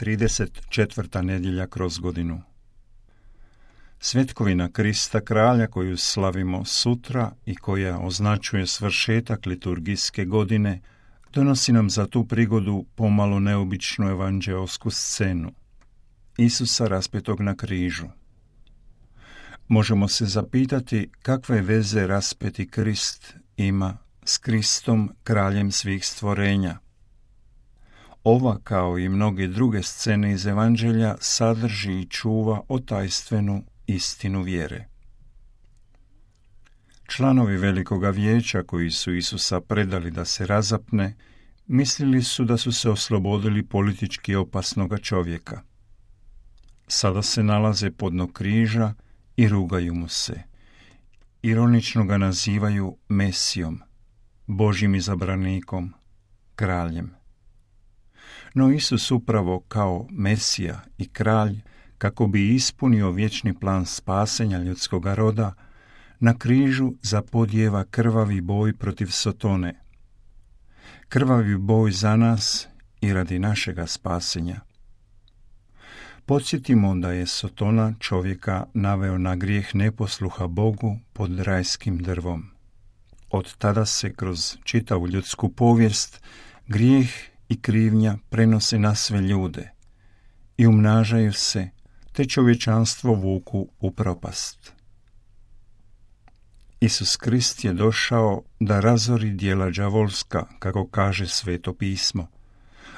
34. nedjelja kroz godinu. Svjetkovina Krista kralja koju slavimo sutra i koja označuje svršetak liturgijske godine, donosi nam za tu prigodu pomalo neobičnu evanđeosku scenu. Isusa raspetog na križu. Možemo se zapitati kakve veze raspeti Krist ima s Kristom, kraljem svih stvorenja. Ova, kao i mnoge druge scene iz Evanđelja, sadrži i čuva otajstvenu istinu vjere. Članovi Velikoga vijeća koji su Isusa predali da se razapne, mislili su da su se oslobodili politički opasnoga čovjeka. Sada se nalaze podno križa i rugaju mu se. Ironično ga nazivaju Mesijom, Božjim izabranikom, kraljem. No Isus upravo kao Mesija i kralj, kako bi ispunio vječni plan spasenja ljudskoga roda, na križu zapodijeva krvavi boj protiv Sotone. Krvavi boj za nas i radi našega spasenja. Podsjetimo da je Sotona čovjeka naveo na grijeh neposluha Bogu pod rajskim drvom. Od tada se kroz čitavu ljudsku povijest grijeh i krivnja prenose na sve ljude i umnažaju se, te čovječanstvo vuku u propast. Isus Krist je došao da razori djela đavolska, kako kaže Sveto pismo.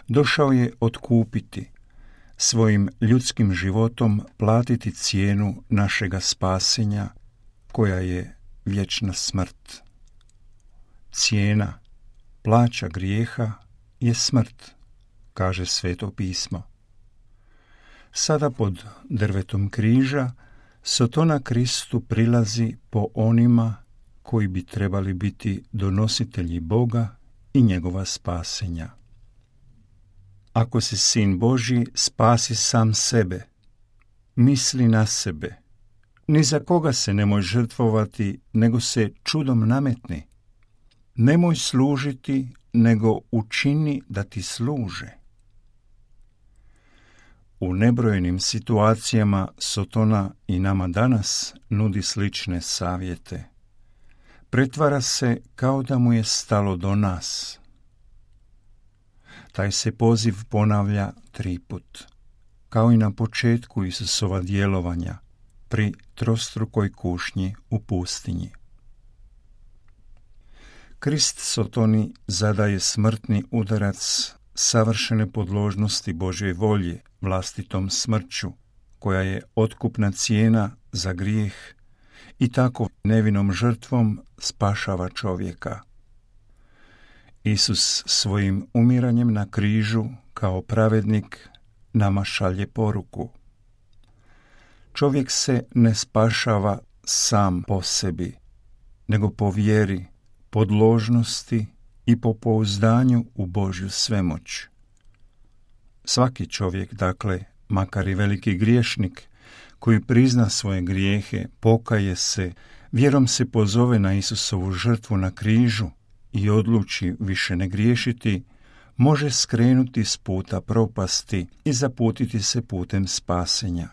Došao je otkupiti, svojim ljudskim životom platiti cijenu našega spasenja, koja je vječna smrt. Cijena, plaća grijeha je smrt, kaže Sveto pismo. Sada pod drvetom križa Sotona Kristu prilazi po onima koji bi trebali biti donositelji Boga i njegova spasenja. Ako si sin Božji, spasi sam sebe. Misli na sebe. Ni za koga se nemoj žrtvovati, nego se čudom nametni. Nemoj služiti, nego učini da ti služe. U nebrojenim situacijama Sotona i nama danas nudi slične savjete. Pretvara se kao da mu je stalo do nas. Taj se poziv ponavlja 3 put, kao i na početku Isusova djelovanja pri trostrukoj kušnji u pustinji. Krist Sotoni zadaje smrtni udarac savršene podložnosti Božje volje vlastitom smrću, koja je otkupna cijena za grijeh i tako nevinom žrtvom spašava čovjeka. Isus svojim umiranjem na križu kao pravednik nama šalje poruku. Čovjek se ne spašava sam po sebi, nego po vjeri, podložnosti i po pouzdanju u Božju svemoć. Svaki čovjek, dakle, makar i veliki griješnik, koji prizna svoje grijehe, pokaje se, vjerom se pozove na Isusovu žrtvu na križu i odluči više ne griješiti, može skrenuti s puta propasti i zaputiti se putem spasenja.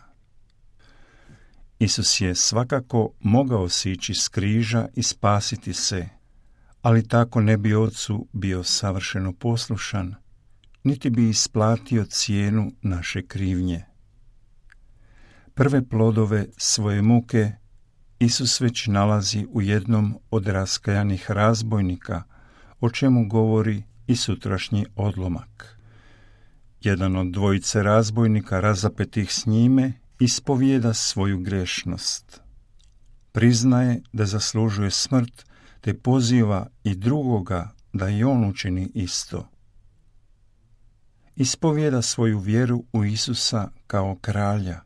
Isus je svakako mogao sići s križa i spasiti se, ali tako ne bi Otcu bio savršeno poslušan, niti bi isplatio cijenu naše krivnje. Prve plodove svoje muke Isus već nalazi u jednom od raskajanih razbojnika, o čemu govori i sutrašnji odlomak. Jedan od dvojice razbojnika razapetih s njime ispovijeda svoju grešnost. Priznaje da zaslužuje smrt, te poziva i drugoga da i on učini isto. Ispovijeda svoju vjeru u Isusa kao kralja.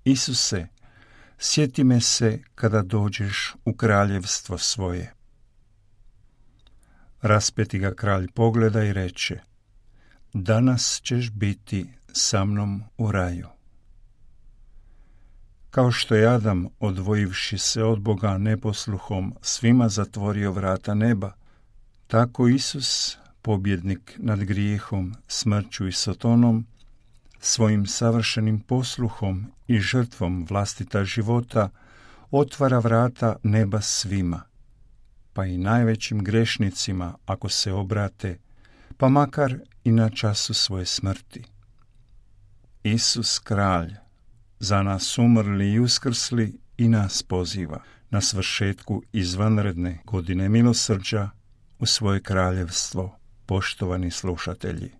Isuse, sjeti me se kada dođeš u kraljevstvo svoje. Raspeti ga kralj pogleda i reče: danas ćeš biti sa mnom u raju. Kao što je Adam, odvojivši se od Boga neposluhom, svima zatvorio vrata neba, tako Isus, pobjednik nad grijehom, smrću i Sotonom, svojim savršenim posluhom i žrtvom vlastita života otvara vrata neba svima, pa i najvećim grešnicima ako se obrate, pa makar i na času svoje smrti. Isus kralj, za nas umrli i uskrsli, i nas poziva na svršetku izvanredne godine milosrđa u svoje kraljevstvo, poštovani slušatelji.